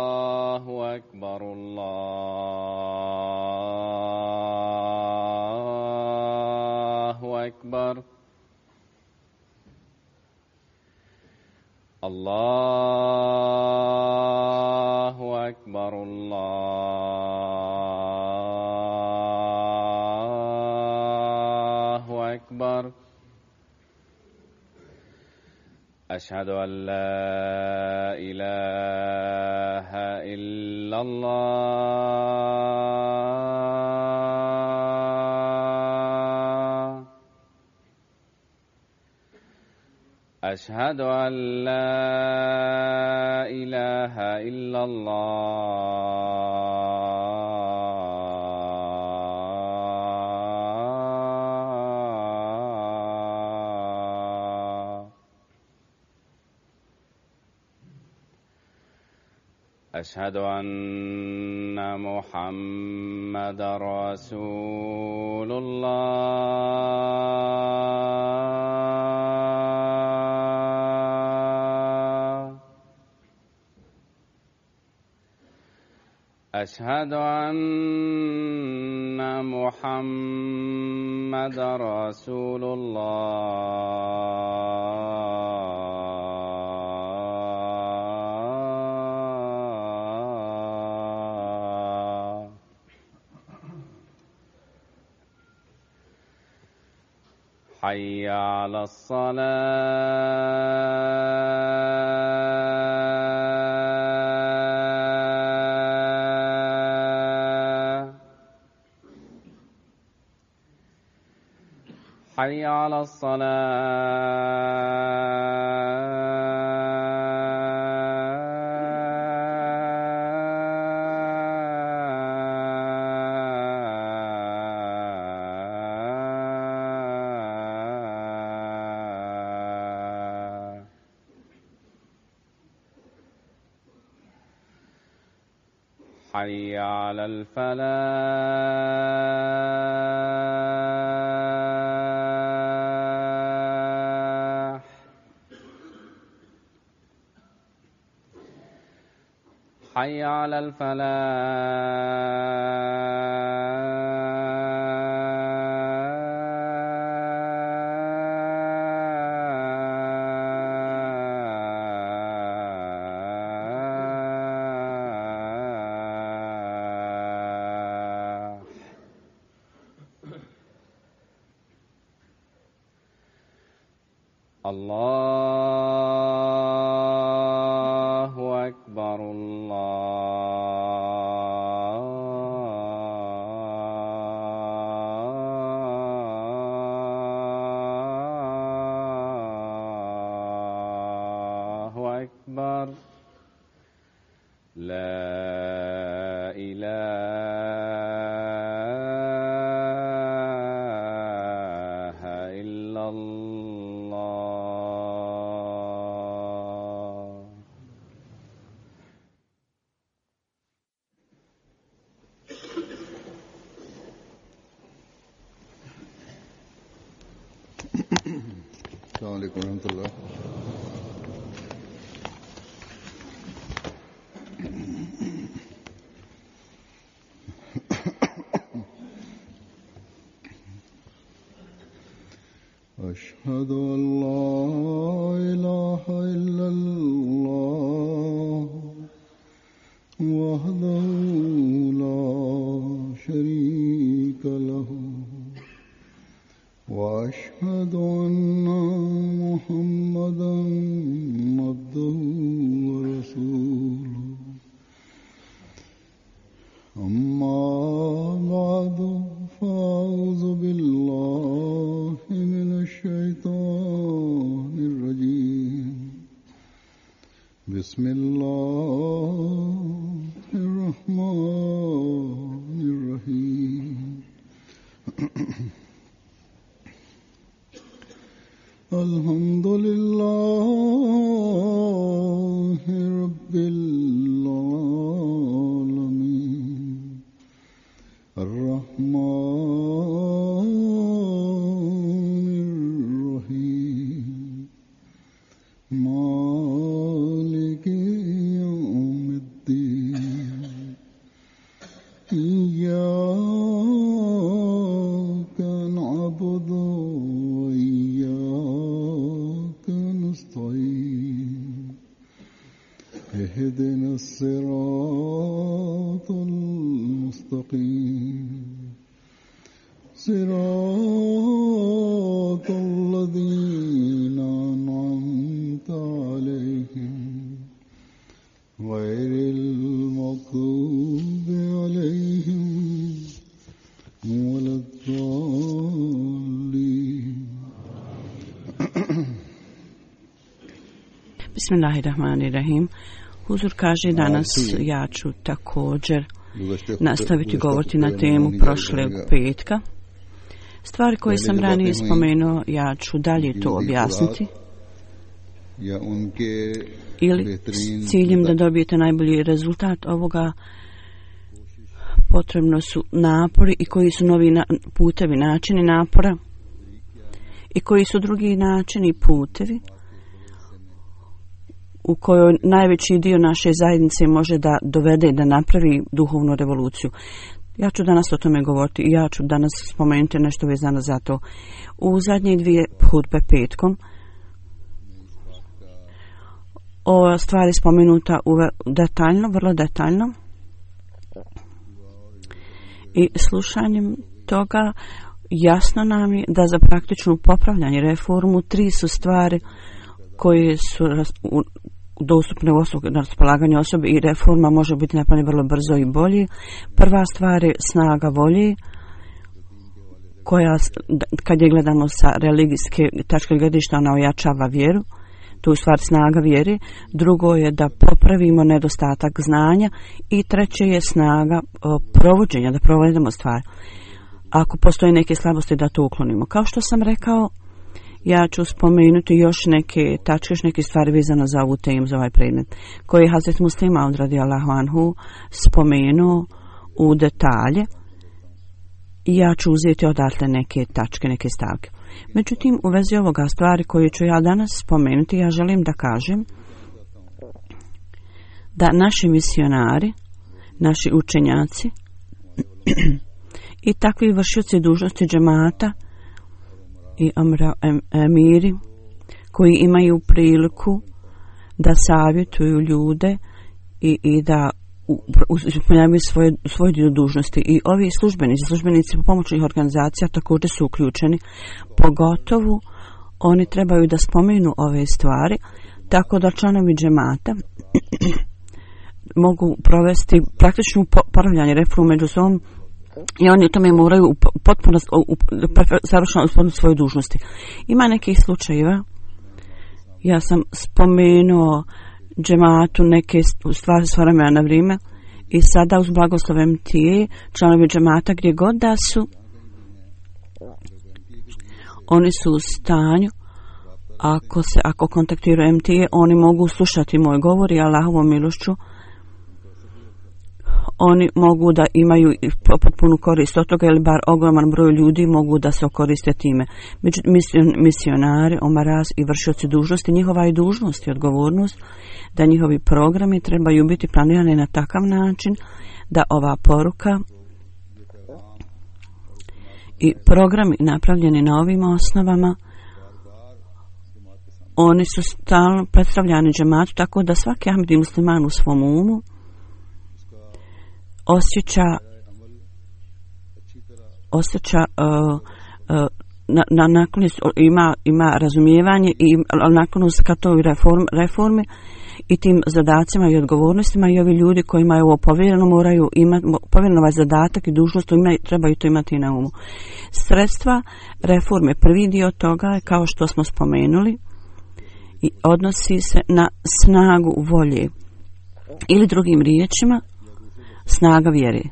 الله أكبر الله أكبر الله أكبر الله أكبر أشهد أن لا إله إلا الله أشهد أن لا إله إلا الله أشهد أن محمد رسول الله أشهد أن محمد رسول الله حي على الصلاة حي على الصلاة حي على الفلاح حي على الفلاح الله أكبر الله أكبر لا إله إلا الله السلام عليكم ورحمة الله. أشهد أن لا إله إلا الله وحده لا شريك له وأشهد أن محمدا عبده ورسوله أما بعد فأعوذ بالله من الشيطان الرجيم بسم الله الرحمن الرحيم إياك نعبد وإياك نستعين اهدنا الصراط المستقيم صراط الذين أنعمت عليهم غير المغضوب عليهم ولا الضالين. Bismillahirrahmanirrahim. Huzur kaže danas ja ću također nastaviti govoriti na temu prošlog petka. Stvari koje sam ranije spomenuo, ja ću dalje to objasniti. Ili s ciljem da dobijete najbolji rezultat ovoga, potrebno su napori i koji su novi putevi, načini napora i koji su drugi načini i putevi u kojoj najveći dio naše zajednice može da dovede da napravi duhovnu revoluciju. Ja ću danas o tome govoriti i ja ću danas spomenuti nešto vezano za to. U zadnje dvije hudbe petkom ova stvar je spomenuta detaljno, vrlo detaljno, i slušanjem toga jasno nam je da za praktičnu popravljanje reformu tri su stvari koje su dostupne na raspolaganju osobe i reforma može biti napravljena vrlo brzo i bolje. Prva stvar je snaga volje, koja kad je gledamo sa religijske tačke gledišta ona ojačava vjeru, to je stvar snaga vjere. Drugo je da popravimo nedostatak znanja i treće je snaga provođenja, da provedemo stvar. Ako postoje neke slabosti da to uklonimo. Kao što sam rekao, ja ću spomenuti još neke tačke, još neke stvari vezano za ovu temu, za ovaj predmet, koji je Hazret Muslim Maud radijallahu anhu spomenuo u detalje i ja ću uzeti odatle neke tačke, neke stavke. Međutim, u vezi ovoga stvari koje ću ja danas spomenuti, ja želim da kažem da naši misionari, naši učenjaci i takvi vršioci dužnosti džemata i emiri koji imaju priliku da savjetuju ljude i da ispunjavaju svoje dio dužnosti. I ovi službenici pomoćnih organizacija također su uključeni, pogotovo oni trebaju da spomenu ove stvari, tako da članovi džemata mogu provesti praktičnu popravljanje reformu među sobom i oni u tome moraju potpuno savršeno ispuniti svoje dužnosti. Ima nekih slučajeva, ja sam spomenuo džematu neke stvari s vremena na vrijeme i sada uz blagoslov MTA članovi džemata gdje god da su, oni su u stanju, ako kontaktiraju MTA, oni mogu slušati moj govor i Allahovom milošću oni mogu da imaju potpunu korist od toga, ili bar ogroman broj ljudi mogu da se koriste time. Misionari, omaraz i vršioci dužnosti, njihova je dužnost i odgovornost da njihovi programi trebaju biti planirani na takav način da ova poruka i programi napravljeni na ovim osnovama, oni su stalno predstavljani džematu, tako da svaki ahmedi musliman u svom umu osjeća ima razumijevanje i naklonost ka toj reformi i tim zadacima i odgovornostima, i ovi ljudi kojima je ovo povjereno moraju imati povjereno ovaj zadatak i dužnost, trebaju to imati na umu. Sredstva reforme, prvi dio toga je, kao što smo spomenuli, i odnosi se na snagu volje, ili drugim riječima snaga vjere,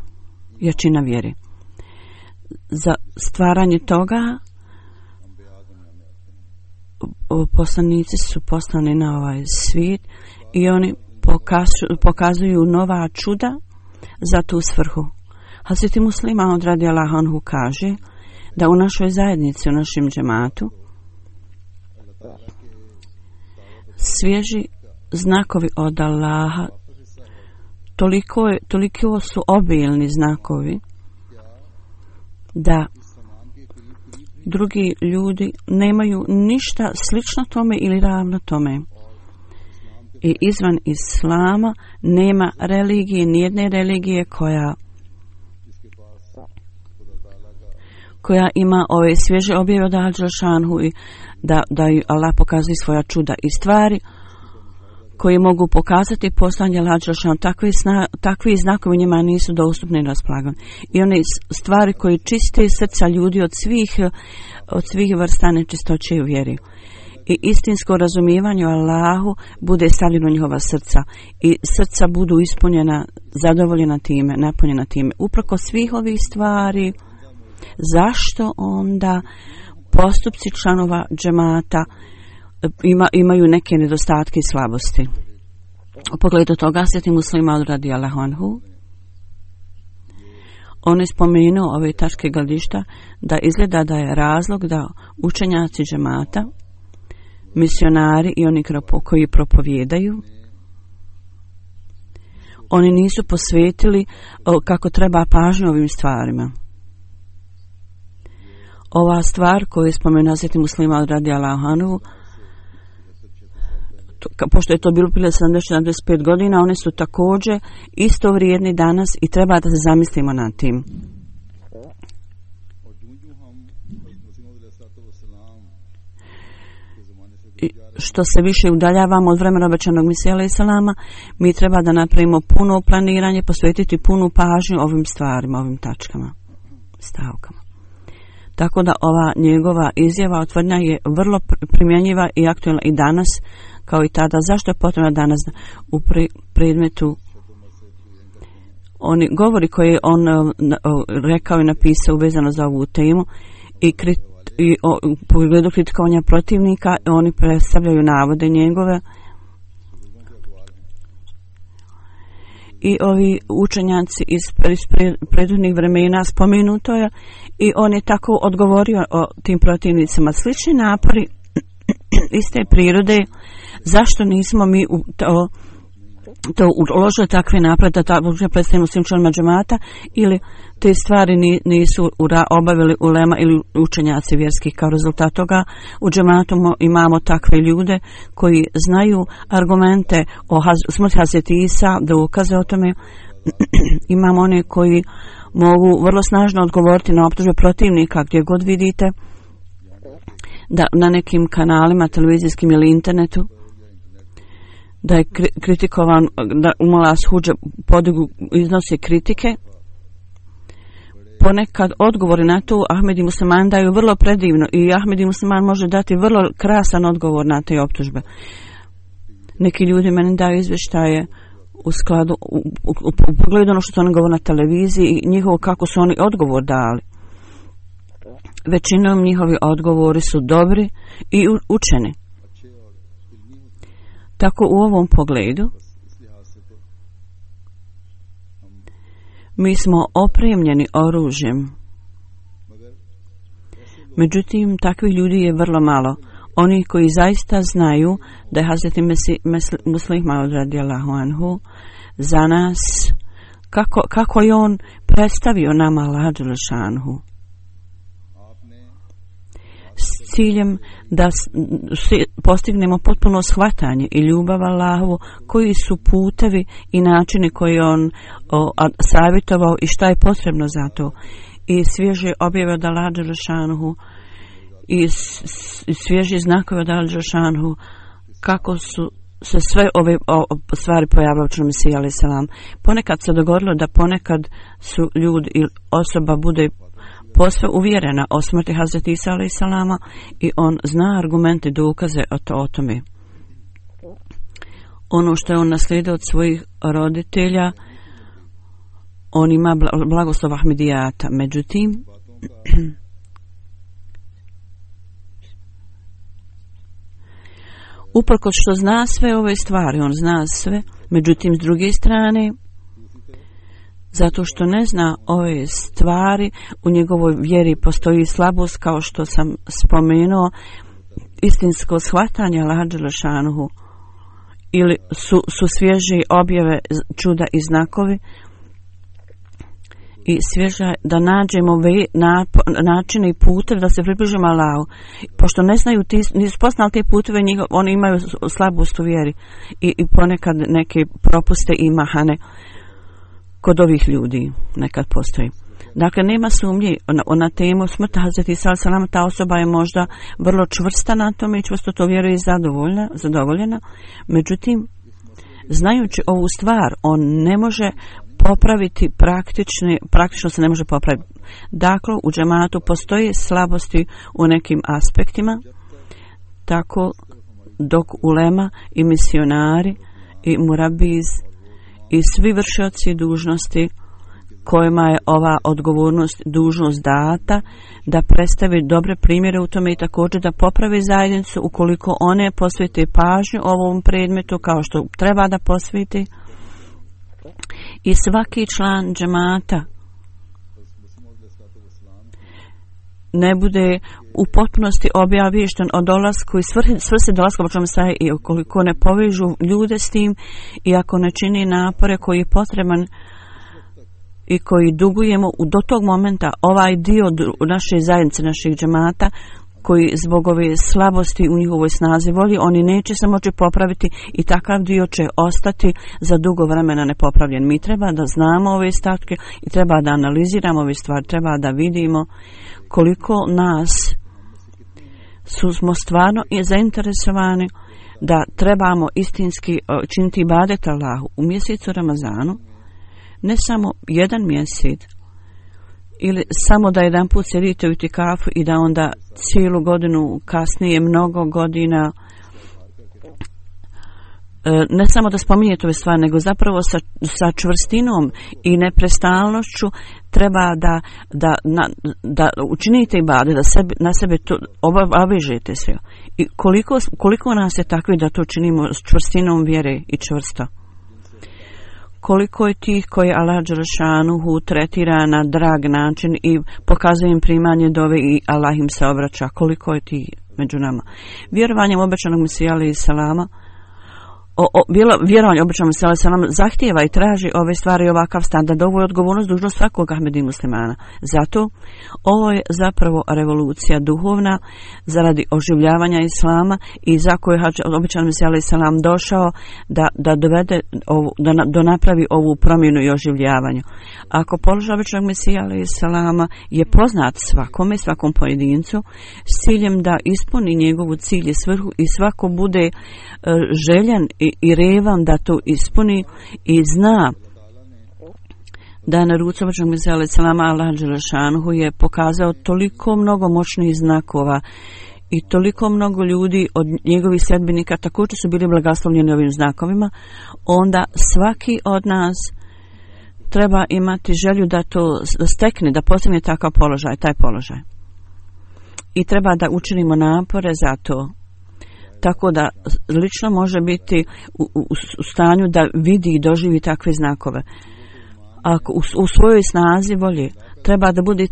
jačina vjere. Za stvaranje toga poslanici su poslani na ovaj svijet i oni pokazuju nova čuda za tu svrhu. Hazret Muslim Maud radijallahu anhu kaže da u našoj zajednici, u našem džematu, svježi znakovi od Allaha, toliko su obilni znakovi da drugi ljudi nemaju ništa slično tome ili ravno tome. I izvan islama nema religije, nijedne religije koja ima ove svježe objave od Al-Đelšanhu i da Allah pokazuje svoja čuda i stvari koji mogu pokazati poslanje Al-Đelšanhu. Takvi znakovi njima nisu dostupni na raspolaganju. I one stvari koje čiste srca ljudi od svih vrsta nečistoće u vjeri. I istinsko razumijevanje o Allahu bude stavljeno u njihova srca i srca budu ispunjena, zadovoljena time, napunjena time. Uprko svih ovih stvari, zašto onda postupci članova džemata imaju neke nedostatke i slabosti? U pogledu toga Sveti Muslih Maud radijallahu anhu, on je spomenuo ove tačke gledišta da izgleda da je razlog da učenjaci džemata, misionari i oni koji propovijedaju, oni nisu posvetili kako treba pažnju ovim stvarima. Ova stvar koju je spomenuo Sveti Muslih Maud radijallahu anhu, pošto je to bilo prije 70-75 godina, one su također isto vrijedni danas i treba da se zamislimo nad tim. I što se više udaljavamo od vremena obećanog Mesija alejhi selama, mi treba da napravimo puno planiranje, posvetiti punu pažnju ovim stvarima, ovim tačkama, stavkama. Tako da ova njegova izjava, tvrdnja je vrlo primjenjiva i aktualna i danas, kao i tada. Zašto je potrebno danas u predmetu oni govori koje on rekao i napisao vezano za ovu temu i u pogledu kritikovanja protivnika, oni predstavljaju navode njegove i ovi učenjaci iz prethodnih vremena spomenuto je i on je tako odgovorio o tim protivnicima. Slični napori iste prirode, zašto nismo mi to uložili takve napred da tako predstavimo svim članovima džemata, ili te stvari nisu obavili ulema ili učenjaci vjerskih. Kao rezultat toga u džematu imamo takve ljude koji znaju argumente o smrti Hazreti Isa, dokaze o tome. Imamo one koji mogu vrlo snažno odgovoriti na optužbe protivnika gdje god vidite, da na nekim kanalima televizijskim ili internetu, da je kritikovan, da Umala Huđa podigu iznosi kritike. Ponekad odgovori na to Ahmedi Musliman daju vrlo predivno i Ahmedi Musliman može dati vrlo krasan odgovor na te optužbe. Neki ljudi meni daju izvještaje u skladu u pogledu ono što oni govore na televiziji i njihovo kako su oni odgovor dali. Većinom njihovi odgovori su dobri i učeni. Tako u ovom pogledu mi smo opremljeni oružjem. Međutim, takvih ljudi je vrlo malo. Oni koji zaista znaju da je Hazreti Muslih Maud radijallahu anhu za nas, kako je on predstavio nama Allah Đelešanu, s ciljem da postignemo potpuno shvatanje i ljubav Allahovu, koji su putevi i načini koje on savjetovao i šta je potrebno za to. I svježe objave od Allah Đelešanu i svježi znakovi od Allah Đelešanu, kako su se sve ove stvari pojavile u članu Mesija alejhi selam. Ponekad se dogodilo da ponekad su ljudi ili osoba bude posve uvjerena o smrti Hazreti Isa alejhi selama i on zna argumente i dokaze o tome. Ono što je on naslijedio od svojih roditelja, on ima blagoslov Ahmedijata. Međutim, uprkos što zna sve ove stvari, on zna sve, međutim s druge strane, zato što ne zna ove stvari, u njegovoj vjeri postoji slabost, kao što sam spomenuo, istinsko shvatanje Allaha Đelešanuhu, ili su svježe objave, čuda i znakovi, i svježa da nađemo načine i puteve da se približimo Allahu. Pošto ne znaju, nisu poznali te puteve, oni imaju slabost u vjeri i ponekad neke propuste i mahane kod ovih ljudi nekad postoji. Dakle, nema sumnje na temu smrti Hazreti Isa alejhi, ta osoba je možda vrlo čvrsta na tome i čvrsto to vjeruje i zadovoljena. Međutim, znajući ovu stvar, on ne može popraviti praktično se ne može popraviti. Dakle, u džematu postoje slabosti u nekim aspektima, tako dok ulema i misionari i murabiz i svi vršioci dužnosti kojima je ova odgovornost, dužnost data, da predstavi dobre primjere u tome i također da popravi zajednicu ukoliko one posvete pažnju ovom predmetu kao što treba da posveti. I svaki član džemata ne bude u potpunosti obaviješten o dolasku i svrsi dolaska i ukoliko ne povežu ljude s tim i ako ne čini napore koji je potreban i koji dugujemo do tog momenta, ovaj dio naše zajednice, naših džemata, koji zbog ove slabosti u njihovoj snazi voli, oni neće se moći popraviti i takav dio će ostati za dugo vremena nepopravljen. Mi treba da znamo ove statke i treba da analiziramo ove stvari, treba da vidimo koliko nas smo stvarno zainteresovani da trebamo istinski činiti ibadet Allahu u mjesecu Ramazanu, ne samo jedan mjesec ili samo da jedan put sjedite u itikafu i da onda cijelu godinu kasnije mnogo godina ne samo da spominjete ove stvari, nego zapravo sa čvrstinom i neprestalnošću treba da učinite ibadet, da na sebe to obavežete se. I koliko nas je takvi da to činimo s čvrstinom vjere i čvrsto? Koliko je tih koji Allah dželešanuhu tretira na drag način i pokazuje im primanje dove i Allah im se obraća? Koliko je tih među nama? Vjerovanjem obećanog Mesija alejhi selama, vjerovanje obećanog Mesija alejhi selama zahtijeva i traži ove stvari i ovakav standard. Ovo je odgovornost, dužnost svakog Ahmedi muslimana. Zato ovo je zapravo revolucija duhovna zaradi oživljavanja islama i za koju je obećani Mesija alejhi selam došao da dovede da napravi ovu promjenu i oživljavanju. Ako položaj obećanog Mesija alejhi selama je poznat svakome, svakom pojedincu, s ciljem da ispuni njegovu cilj i svrhu i svako bude željan i revan da to ispuni i zna da na ruci obećanog Mesija alejhi selama Allah dželešanuhu je pokazao toliko mnogo moćnih znakova i toliko mnogo ljudi od njegovih sledbenika također su bili blagoslovljeni ovim znakovima, onda svaki od nas treba imati želju da to stekne, da postigne takav položaj, taj položaj. I treba da učinimo napore za to. Tako da lično može biti u stanju da vidi i doživi takve znakove. Ako u svojoj snazi volje treba da bude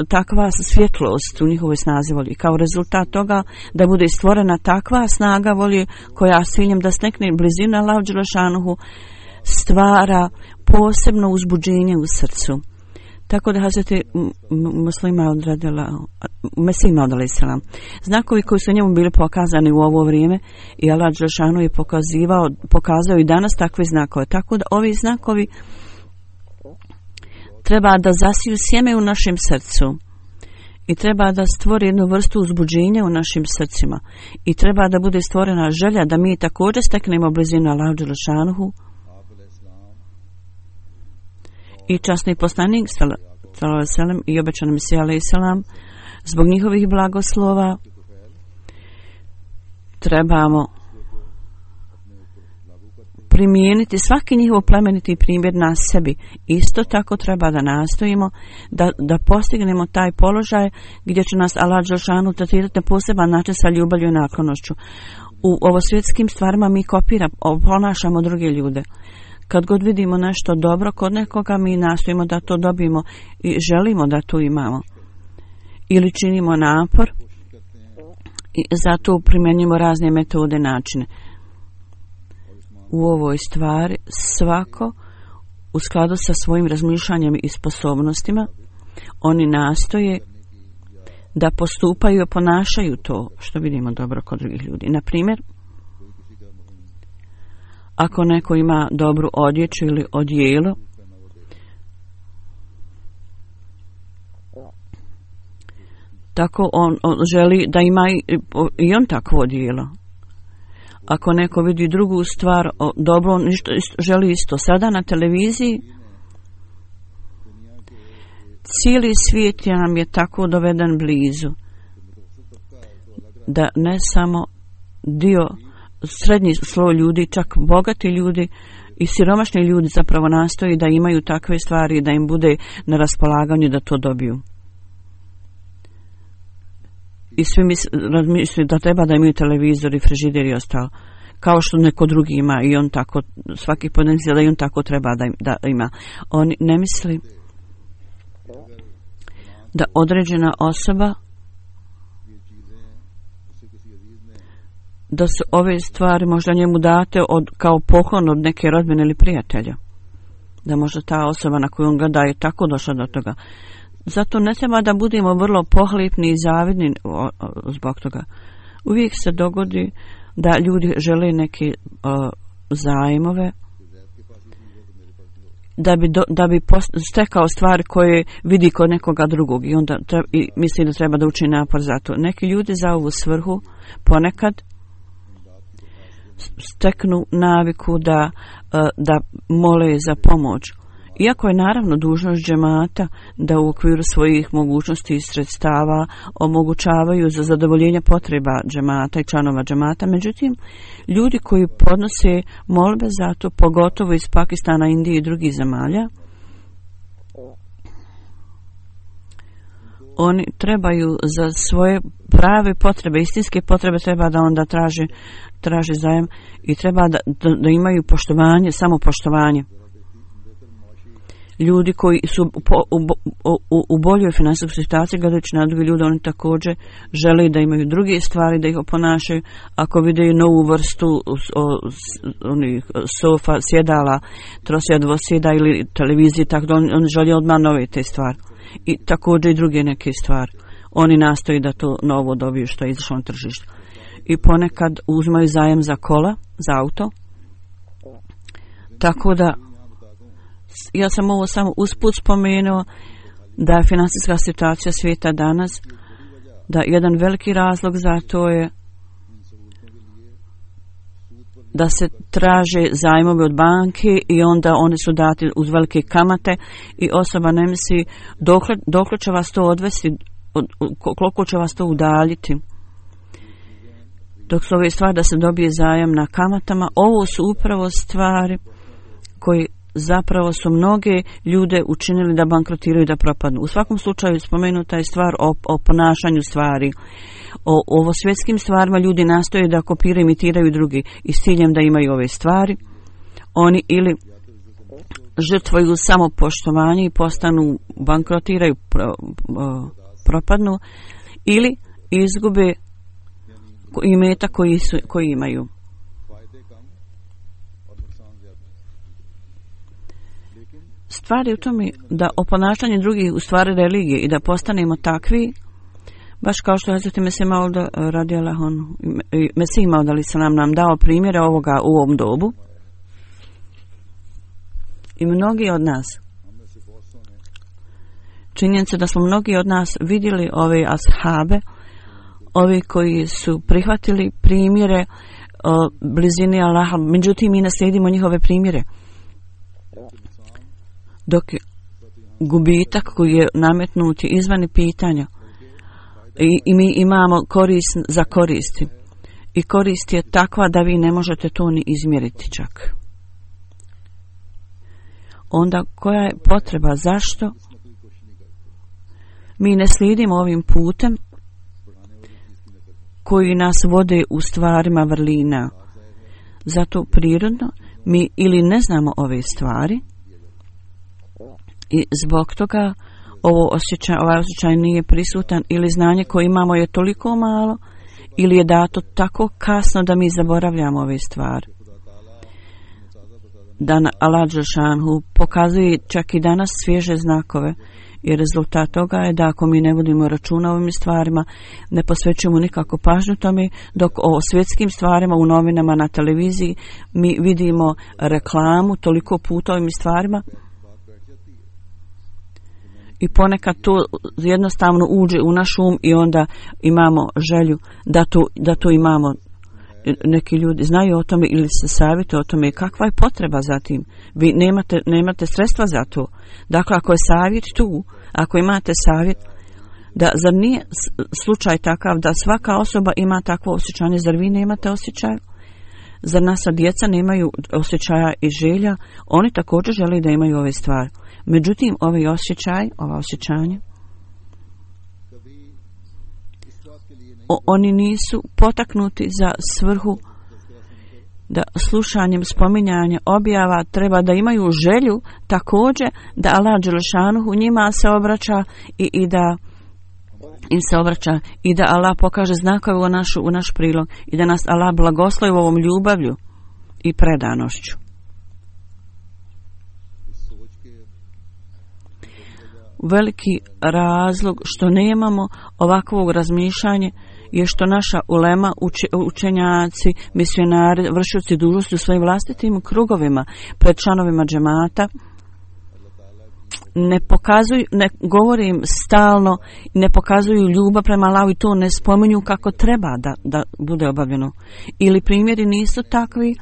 takva svjetlost u njihovoj snazi volje. Kao rezultat toga da bude stvorena takva snaga volje koja s ciljem da stekne blizinu Allahu dželešanuhu stvara posebno uzbuđenje u srcu. Tako da Hazreti Mesih Maud alejhi selam, znakovi koji su njemu bili pokazani u ovo vrijeme i Allah dželešanuhu je pokazao i danas takve znakove. Tako da ovi znakovi treba da zasiju sjeme u našem srcu i treba da stvori jednu vrstu uzbuđenja u našim srcima i treba da bude stvorena želja da mi također steknemo blizinu Allahu dželešanuhu. I časni poslanik sallallahu alejhi ve sellem i obećani Mesija alejhi selam, zbog njihovih blagoslova trebamo primijeniti svaki njihov plemeniti primjer na sebi. Isto tako treba da nastojimo da postignemo taj položaj gdje će nas Allah dželešanuhu tretirati na poseban način sa ljubavlju i naklonošću. U ovosvjetskim stvarima mi ponašamo druge ljude. Kad god vidimo nešto dobro kod nekoga, mi nastojimo da to dobijemo i želimo da to imamo. Ili činimo napor i zato primjenjujemo razne metode, načine. U ovoj stvari svako u skladu sa svojim razmišljanjem i sposobnostima, oni nastoje da postupaju i ponašaju to što vidimo dobro kod drugih ljudi. Na primjer, ako neko ima dobru odjeću ili odijelo, tako on želi da ima i on takvo odijelo. Ako neko vidi drugu stvar dobro, on želi isto. Sada na televiziji cijeli svijet nam je tako doveden blizu da ne samo dio srednji sloj ljudi, čak bogati ljudi i siromašni ljudi zapravo nastoji da imaju takve stvari, da im bude na raspolaganju da to dobiju. I svi misli da treba da imaju televizor i frižider i ostalo. Kao što neko drugi ima i on tako, svaki pojedinac da i on tako treba da ima. On ne misli da određena osoba, da su ove stvari možda njemu date kao poklon od neke rodbine ili prijatelja. Da možda ta osoba na koju on gleda je tako došla do toga. Zato ne treba da budemo vrlo pohlepni i zavidni zbog toga. Uvijek se dogodi da ljudi žele neke zajmove da bi stekao stvari koje vidi kod nekoga drugog i onda misli da treba da učini napor za to. Neki ljudi za ovu svrhu ponekad steknu naviku da mole za pomoć. Iako je naravno dužnost džemata da u okviru svojih mogućnosti i sredstava omogućavaju za zadovoljenje potreba džemata i članova džemata, međutim, ljudi koji podnose molbe za to, pogotovo iz Pakistana, Indije i drugih zemalja, oni trebaju za svoje prave potrebe, istinske potrebe, treba da onda traže zajem i treba da imaju poštovanje, samopoštovanje. Ljudi koji su u boljoj finansijskoj situaciji gledajući na druge ljude, oni također žele da imaju druge stvari, da ih oponašaju. Ako vide novu vrstu sofa, sjedala, trosjeda, dvosjeda ili televizije, tako da oni žele odmah nove te stvari. I također i druge neke stvari. Oni nastoji da to novo dobiju što je izašlo na tržište. I ponekad uzmaju zajem za kola, za auto. Tako da ja sam ovo samo usput spomenuo da je finansijska situacija svijeta danas, da jedan veliki razlog za to je da se traže zajmovi od banke i onda oni su dati uz velike kamate i osoba ne misli dokle će vas to odvesti, koliko će vas to udaljiti. Dok su ove stvari da se dobije zajam na kamatama, ovo su upravo stvari koji zapravo su mnoge ljude učinili da bankrotiraju i da propadnu. U svakom slučaju spomenuta je stvar o ponašanju stvari. O svjetskim stvarima ljudi nastoje da kopiraju, imitiraju drugi i s ciljem da imaju ove stvari. Oni ili žrtvuju samo poštovanje i postanu, bankrotiraju, propadnu, ili izgube imetak koji imaju. Stvari u tome da o ponašanju drugih u stvari religije i da postanemo takvi, baš kao što Hazreti Mesih Maud radijallahu anhu, Mesih Maud nam dao primjere ovoga u ovom dobu. I mnogi od nas, činjenica da smo mnogi od nas vidjeli ove ashabe, ovi koji su prihvatili primjere blizini Allaha, međutim mi naslijedimo njihove primjere. Dok gubitak koji je nametnut izvan pitanja i mi imamo korist za koristi i korist je takva da vi ne možete to ni izmjeriti čak. Onda koja je potreba, zašto mi ne slijedimo ovim putem koji nas vode u stvarima vrlina? Zato prirodno mi ili ne znamo ove stvari i zbog toga ovaj osjećaj nije prisutan, ili znanje koje imamo je toliko malo, ili je dato tako kasno da mi zaboravljamo ove stvari. da Allah dželešanu pokazuje čak i danas svježe znakove. I rezultat toga je da ako mi ne vodimo računa o ovim stvarima, ne posvećujemo nikako pažnju tome, dok o svjetskim stvarima u novinama, na televiziji mi vidimo reklamu toliko puta o ovim stvarima i ponekad to jednostavno uđe u naš um i onda imamo želju da to imamo. Neki ljudi znaju o tome ili se savjetuju o tome, kakva je potreba za tim. Vi nemate sredstva za to. Dakle, ako je savjet tu, ako imate savjet, zar nije slučaj takav da svaka osoba ima takvo osjećanje, zar vi nemate osjećaj? Zar naša djeca nemaju osjećaja i želja? Oni također žele da imaju ove stvari. Međutim, ova osjećanja, oni nisu potaknuti za svrhu da slušanjem spominjanja objava treba da imaju želju također da Allah dželešanu njima se obraća i da im se obraća i da Allah pokaže znakove u naš prilog i da nas Allah blagoslovi ovom ljubavlju i predanošću. Veliki razlog što nemamo ovakvog razmišljanja je što naša ulema, učenjaci, misionari, vršioci dužnosti u svojim vlastitim krugovima pred članovima džemata ne pokazuju, ne govorim stalno, ne pokazuju ljubav prema Allahu i to ne spominju kako treba da bude obavljeno. Ili primjeri nisu takvi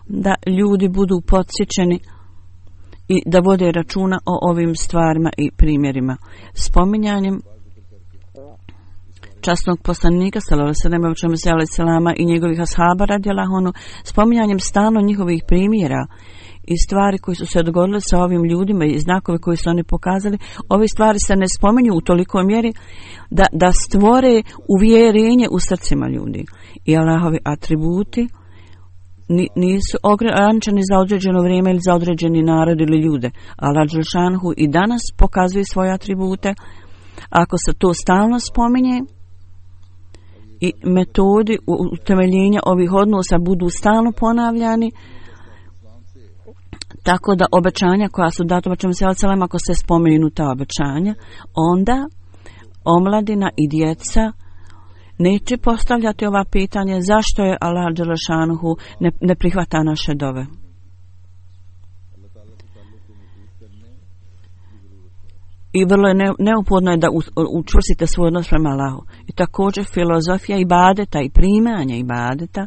da ljudi budu podsjećeni i da vode računa o ovim stvarima i primjerima. Spominjanjem časnog poslanika sallallahu alejhi ve sellem i njegovih ashaba radijallahu anhu, spominjanjem stalno njihovih primjera i stvari koji su se dogodile sa ovim ljudima i znakove koji su oni pokazali, ove stvari se ne spominju u tolikoj mjeri da stvore uvjerenje u srcima ljudi. I Allahovi atributi nisu ograničeni za određeno vrijeme ili za određeni narod ili ljude. Allah dželešanu i danas pokazuje svoje atribute. Ako se to stalno spominje i metodi utemeljenja ovih odnosa budu stalno ponavljani, tako da obećanja koja su data ako se spomenu ta obećanja, onda omladina i djeca neće postavljati ova pitanja zašto je Allah dželešanuhu ne prihvata naše dove. I vrlo je neophodno je da učvrstite svoj odnos prema Allahu. I također filozofija ibadeta i primanja ibadeta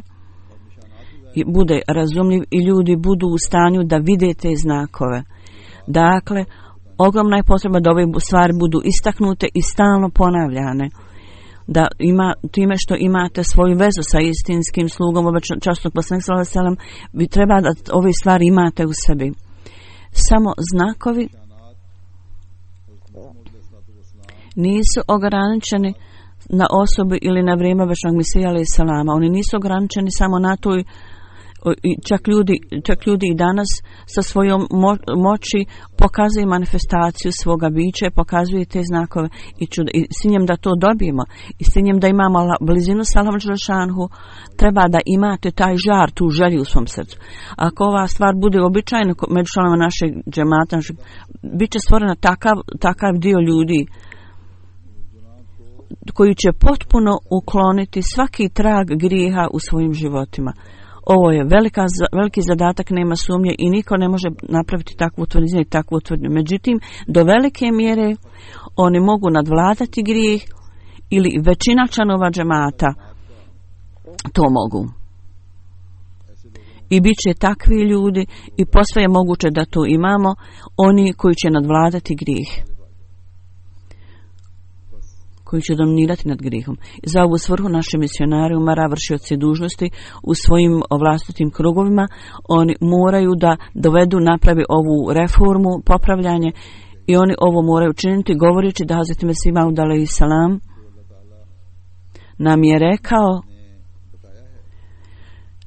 bude razumljiv i ljudi budu u stanju da vide te znakove. Dakle, ogromna je potreba da ove stvari budu istaknute i stalno ponavljane. Da time što imate svoju vezu sa istinskim slugom časnog poslanika sallallahu alejhi ve sellem, vi treba da ove stvari imate u sebi. Samo znakovi nisu ograničeni na osobu ili na vrijeme večnog Mesija alejhi selama. Oni nisu ograničeni samo na to. Čak ljudi i danas sa svojom moći pokazuju manifestaciju svoga bića, pokazuju te znakove i s ciljem da to dobijemo i s ciljem da imamo blizinu sa Allahom dželešanuhu, treba da imate taj žar, tu želju u svom srcu. Ako ova stvar bude običajna među članovima našeg džemata, bit će stvorena takav dio ljudi koji će potpuno ukloniti svaki trag grijeha u svojim životima. Ovo je veliki zadatak, nema sumnje i niko ne može napraviti takvu tvrdnju i takvu tvrdnju. Međutim, do velike mjere oni mogu nadvladati grijeh ili većina članova džemata to mogu. I bit će takvi ljudi i posve je moguće da to imamo, oni koji će nadvladati grijeh, koji će dominirati nad grihom. Za ovu svrhu naši misionari umara, vršioci dužnosti u svojim vlastitim krugovima, oni moraju da dovedu, napravi ovu reformu, popravljanje i oni ovo moraju činiti govoreći da Hazreti Mesih Maud alejhi selam nam je rekao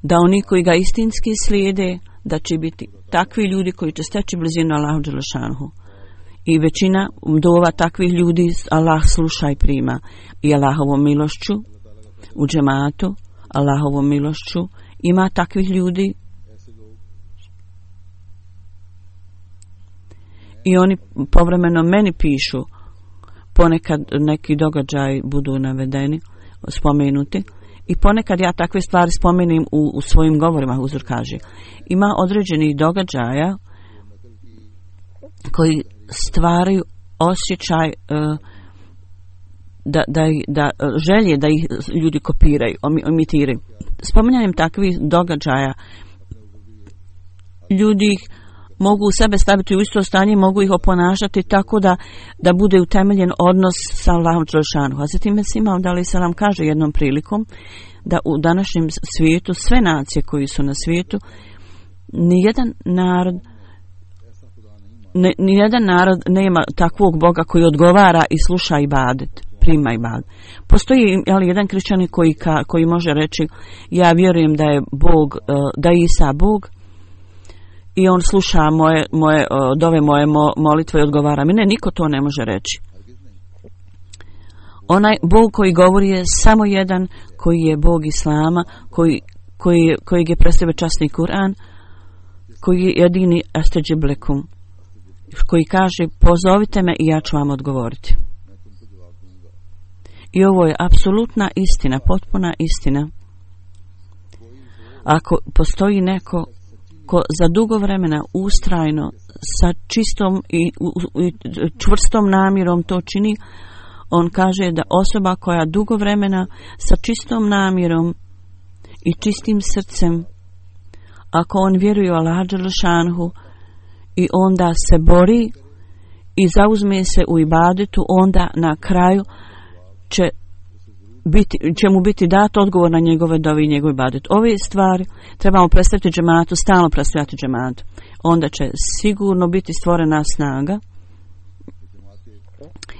da oni koji ga istinski slijede, da će biti takvi ljudi koji će steći blizinu Allahu dželešanuhu. I većina dova takvih ljudi Allah sluša i prima. I Allahovom milošću u džematu, Allahovom milošću ima takvih ljudi I oni povremeno meni pišu, ponekad neki događaji budu navedeni, spomenuti, i ponekad ja takve stvari spomenim u svojim govorima. Huzur kaže, ima određenih događaja koji stvaraju osjećaj da želje da ih ljudi kopiraju, imitiraju. Spominjanjem takvih događaja ljudi ih mogu u sebe staviti u isto stanje, mogu ih oponašati tako da bude utemeljen odnos sa Allahom dželešanu. Hazreti Mesih Maud alejhi selam kaže jednom prilikom da u današnjem svijetu sve nacije koji su na svijetu nijedan narod nema takvog Boga koji odgovara i sluša ibadet, prima ibadet. Postoji ali jedan kršćanin koji može reći ja vjerujem da je Bog, da je Isa Bog i on sluša moje dove, moje molitve i odgovara mi. Ne, niko to ne može reći. Onaj Bog koji govori je samo jedan, koji je Bog Islama, kojeg je predstavio časni Kur'an, koji je jedini astajib lekum, koji kaže pozovite me i ja ću vam odgovoriti. I ovo je apsolutna istina, potpuna istina. Ako postoji neko ko za dugo vremena ustrajno sa čistom i čvrstom namjerom to čini, on kaže da osoba koja dugo vremena sa čistom namjerom i čistim srcem, ako on vjeruje u Allaha dželešanhu i onda se bori i zauzme se u ibadetu, onda na kraju će mu biti dat odgovor na njegove dove i njegov ibadet. Ove stvari trebamo predstaviti džematu, stalno predstavljati džematu. Onda će sigurno biti stvorena snaga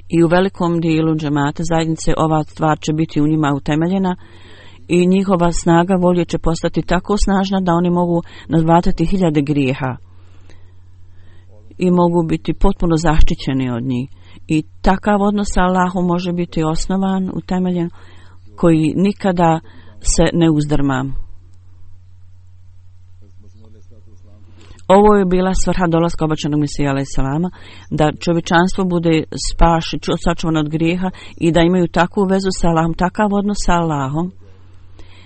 i u velikom dijelu džemata zajednice ova stvar će biti u njima utemeljena i njihova snaga volje će postati tako snažna da oni mogu nadvlatati 1000 grijeha i mogu biti potpuno zaštićeni od njih. I takav odnos sa Allahom može biti osnovan, utemeljen, koji nikada se ne uzdrma. Ovo je bila svrha dolaska obećanog Mesija alejhi selama, da čovječanstvo bude sačuvano od grijeha i da imaju takvu vezu sa Allahom, takav odnos sa Allahom,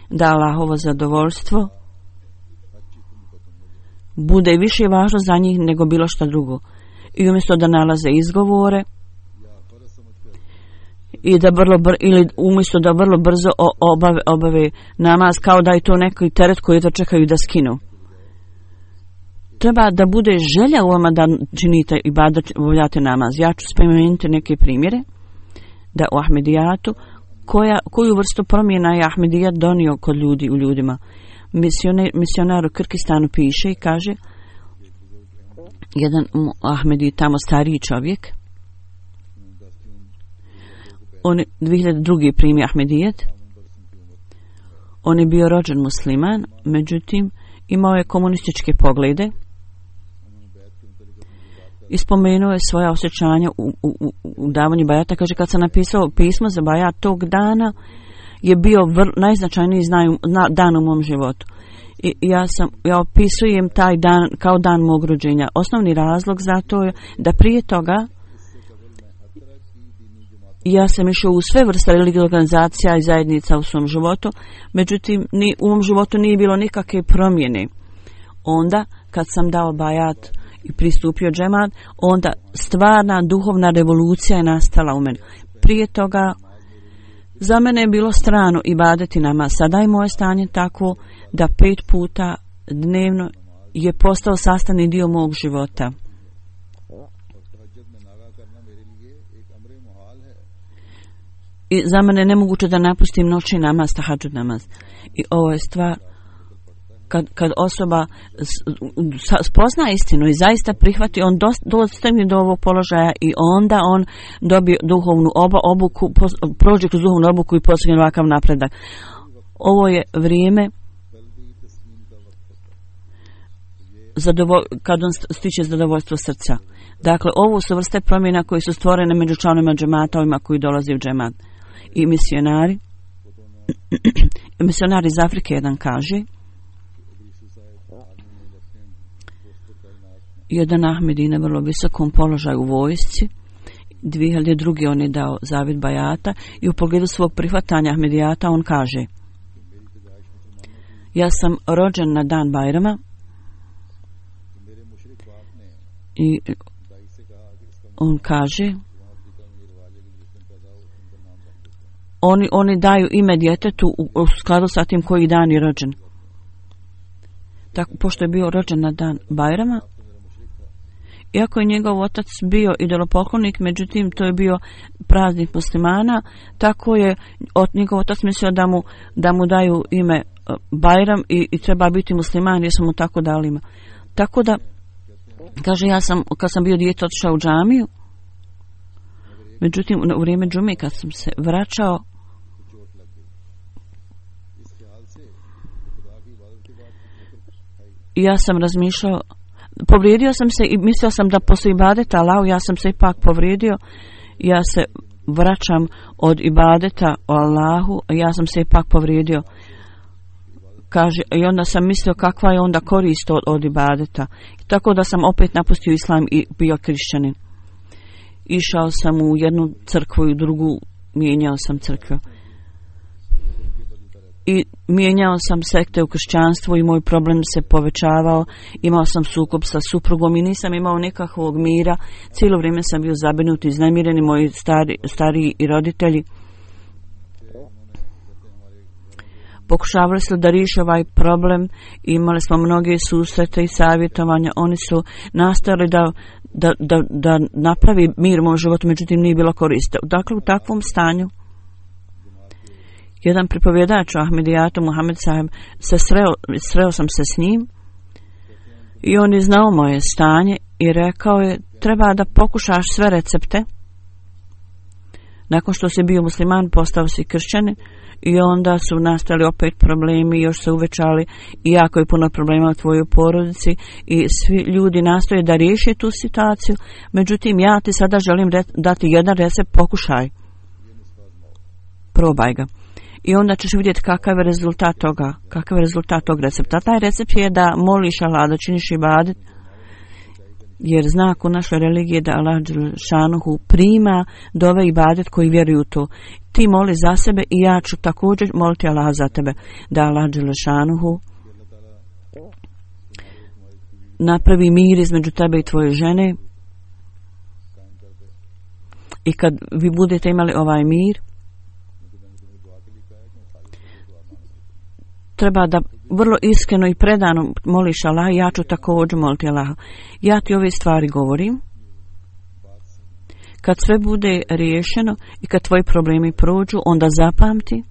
da Allahovo zadovoljstvo bude više važno za njih nego bilo što drugo. I umjesto da nalaze izgovore i da umjesto da vrlo brzo obave namaz kao da je to neki teret koji to čekaju da skinu. Treba da bude želja u vama da činite i da obavljate namaz. Ja ću spomenuti neke primjere da u Ahmedijatu koju vrstu promjena je Ahmedijat donio kod ljudi u ljudima. Misionar u Kirgistanu piše i kaže, jedan Ahmedi, tamo stariji čovjek, on je 2002. primi Ahmedijet, on je bio rođen musliman, međutim imao je komunističke poglede i spomenuo je svoja osjećanja u davanju bajata. Kaže, kad sam napisao pismo za bajat, tog dana je bio najznačajniji dan u mom životu. I ja opisujem taj dan kao dan mog rođenja. Osnovni razlog za to je da prije toga ja sam išao u sve vrste religijskih organizacija i zajednica u svom životu, međutim u mom životu nije bilo nikakve promjene. Onda kad sam dao bajat i pristupio džemat, onda stvarna duhovna revolucija je nastala u meni. Prije toga za mene je bilo strano ibadeti nama. Sada je moje stanje takvo da 5 puta dnevno je postao sastavni dio mog života. I za mene je nemoguće da napustim noćni namaz, tahadžud namaz. I ovo je stvar kad osoba spozna istinu i zaista prihvati, on dostigne do ovog položaja i onda on dobije duhovnu obuku, prođe kroz duhovnu obuku i postigne ovakav napredak. Ovo je vrijeme kad on stiče zadovoljstvo srca. Dakle, ovo su vrste promjena koje su stvorene među članovima džemata, ovima koji dolaze u džemat. I misionar iz Afrike jedan kaže, jedan Ahmedi na vrlo visokom položaju u vojsci. 2002. on je dao zavjet bajata i u pogledu svog prihvatanja Ahmedijata on kaže: ja sam rođen na dan Bajrama i on kaže oni daju ime djetetu u skladu sa tim koji dan je rođen. Tako, pošto je bio rođen na dan Bajrama, iako je njegov otac bio idolopoklonik, međutim to je bio praznik muslimana, tako je njegov otac mislio da mu daju ime Bajram i treba biti musliman, jer su mu tako dali ime. Tako da, kaže, kad sam bio dijete otišao u džamiju, međutim u vrijeme džume kad sam se vraćao, ja sam razmišljao, povrijedio sam se i mislio sam da poslije ibadeta Allahu, ja sam se ipak povrijedio, ja se vraćam od ibadeta o Allahu, ja sam se ipak povrijedio. Kaže, i onda sam mislio kakva je onda korist od ibadeta. Tako da sam opet napustio islam i bio kršćanin. Išao sam u jednu crkvu i u drugu, mijenjao sam crkvu. I mijenjao sam sekte u kršćanstvu i moj problem se povećavao. Imao sam sukob sa suprugom i nisam imao nikakvog mira. Cijelo vrijeme sam bio zabrinut i iznemireni, moji stariji i roditelji. Pokušavali su da riješe ovaj problem, imali smo mnoge susrete i savjetovanja, oni su nastojali da napravi mir u mom životu, međutim nije bilo koriste. Dakle, u takvom stanju jedan pripovjedač o Ahmedijatu, Muhammed Saheb, sreo sam se s njim i on je znao moje stanje i rekao je, treba da pokušaš sve recepte. Nakon što si bio musliman, postao si kršćanin. I onda su nastali opet problemi, još se uvećali i jako je puno problema u tvojoj porodici i svi ljudi nastoje da riješe tu situaciju. Međutim, ja ti sada želim dati jedan recept, pokušaj. Probaj ga. I onda ćeš vidjeti kakav je rezultat toga, kakav je rezultat tog recepta. Taj recept je da moliš Allah, da činiš ibadet, jer znak u našoj religiji je da Allah Šanuhu prima dove ibadet koji vjeruju to. Ti moli za sebe i ja ću također moliti Allah za tebe, da Allah Šanuhu napravi mir između tebe i tvoje žene. I kad vi budete imali ovaj mir, treba da vrlo iskreno i predano moliš Allah, ja ću također moliti Allah. Ja ti ove stvari govorim. Kad sve bude riješeno i kad tvoji problemi prođu, onda zapamti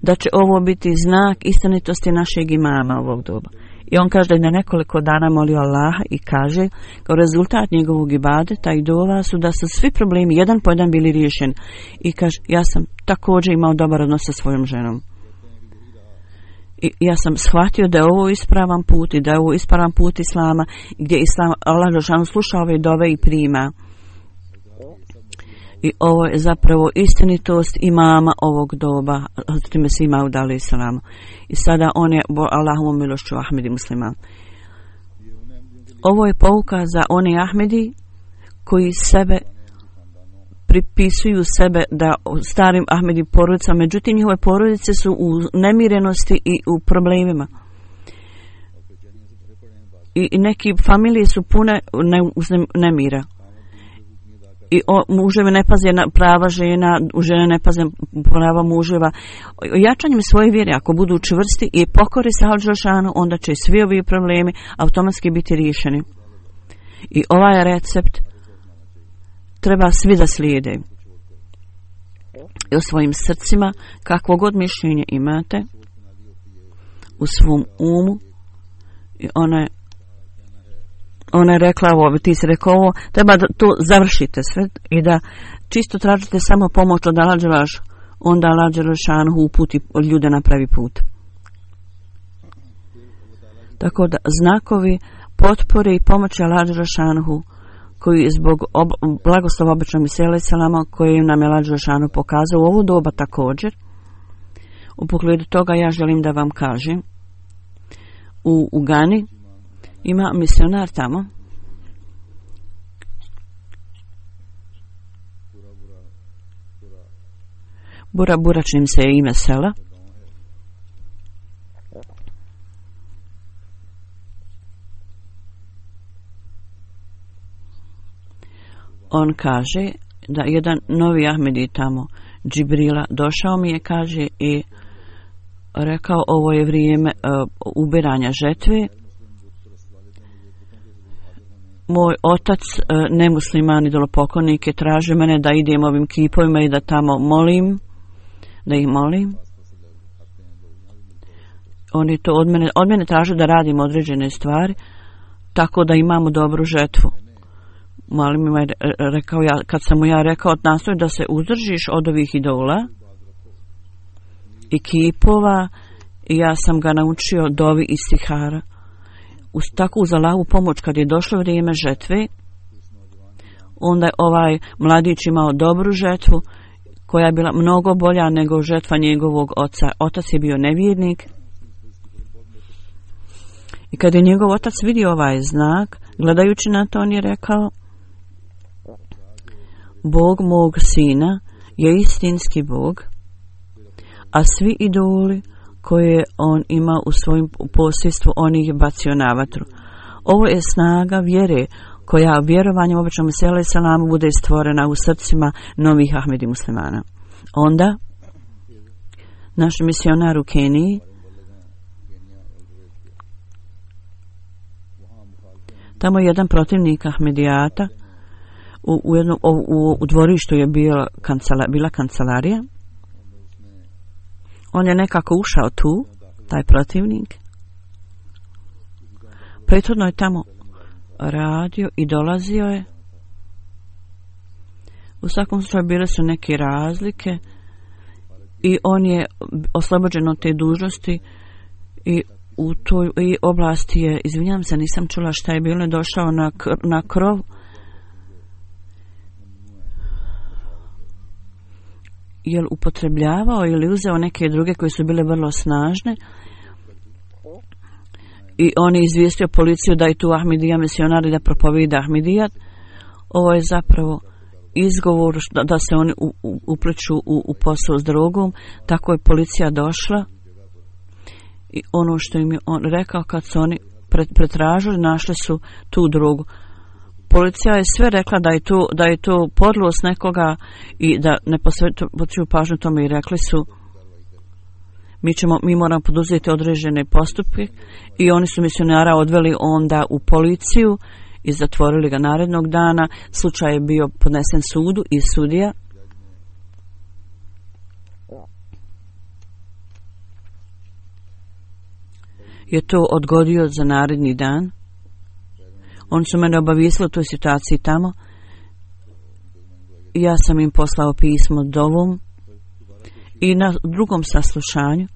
da će ovo biti znak istinitosti našeg imama ovog doba. I on kaže da je na nekoliko dana molio Allaha i kaže kao rezultat njegovog ibadeta i dova su da su svi problemi jedan po jedan bili riješeni. I kaže, ja sam također imao dobar odnos sa svojom ženom. I ja sam shvatio da je ovo ispravan put i da je ovo ispravan put Islama, gdje Islam, Allah Đelešanu sluša ove dove i prima. I ovo je zapravo istinitost imama ovog doba, Hazreti Mesih Maud alejhi selam. I sada on je Allahovom milošću Ahmedi musliman. Ovo je pouka za one Ahmedi koji sebe pripisuju sebe da starim Ahmedi porodicama, međutim njihove porodice su u nemirenosti i u problemima. I neki familije su pune nemira. I muževi ne paze na prava žena, žene ne paze prava muževa. Jačanjem svoje vjere, ako budu čvrsti i pokori se Allahu Đelešanu, onda će svi ovi problemi automatski biti riješeni. I ovaj recept treba svi da slijede. I u svojim srcima, kakvo god mišljenje imate, u svom umu, i ona je rekla ovo, ti si rekao ovo, treba da to završite sve i da čisto tražite samo pomoć od Allah Đelešanu, onda Allah Đelešanu uputi ljude na pravi put. Tako da znakovi potpore i pomoći Allah Đelešanu koji je zbog blagoslova običnog Mesija alejhi selama koji nam je Allah Đelešanu pokazao u ovo doba također. U pogledu toga ja želim da vam kažem, u Ugani Ima misionar tamo. Bura čim se je ime sela. On kaže da jedan novi Ahmedi tamo, Džibrila, došao mi je, kaže, i rekao ovo je vrijeme ubiranja žetve. Moj otac, nemusliman idolopoklonik, je tražio mene da idem ovim kipovima i da tamo molim, da ih molim. On je to od mene tražio da radim određene stvari, tako da imamo dobru žetvu. Molim mi je rekao, kad sam mu ja rekao, nastoj da se uzdržiš od ovih idola i kipova, i ja sam ga naučio dovi i stihara. Tako uz Allahovu pomoć, kad je došlo vrijeme žetve, onda je ovaj mladić imao dobru žetvu, koja je bila mnogo bolja nego žetva njegovog oca. Otac je bio nevjernik. I kad je njegov otac vidio ovaj znak, gledajući na to, on je rekao, Bog mog sina je istinski Bog, a svi idoli koje on ima u svojim posjedstvu, on ih je bacio na vatru. Ovo je snaga vjere koja vjerovanjem običnom Mesiju salamu bude stvorena u srcima novih Ahmedi muslimana. Onda naš misionar u Keniji tamo je jedan protivnik Ahmedijata u dvorištu je bila kancelarija. On je nekako ušao tu, taj protivnik. Prethodno je tamo radio i dolazio je. U svakom slučaju bile su neke razlike i on je oslobođen od te dužnosti i u toj oblasti je, izvinjam se, nisam čula šta je bilo, došao na krov. Jel upotrebljavao ili uzeo neke druge koje su bile vrlo snažne i on je izvijestio policiju da je tu Ahmedija misionar i da propovida Ahmedijat. Ovo je zapravo izgovor da se oni upliču u posao s drogom. Tako je policija došla i ono što im je on rekao, kad su oni pretražili, našli su tu drogu. Policija je sve rekla da je to podlost nekoga i da ne posvećuju pažnju tome i rekli su mi moramo poduzeti određene postupke i oni su misionara odveli onda u policiju i zatvorili ga narednog dana. Slučaj je bio podnesen sudu i sudija je to odgodio za naredni dan. Oni su mene obavijestili o toj situaciji tamo. Ja sam im poslao pismo dovom i na drugom saslušanju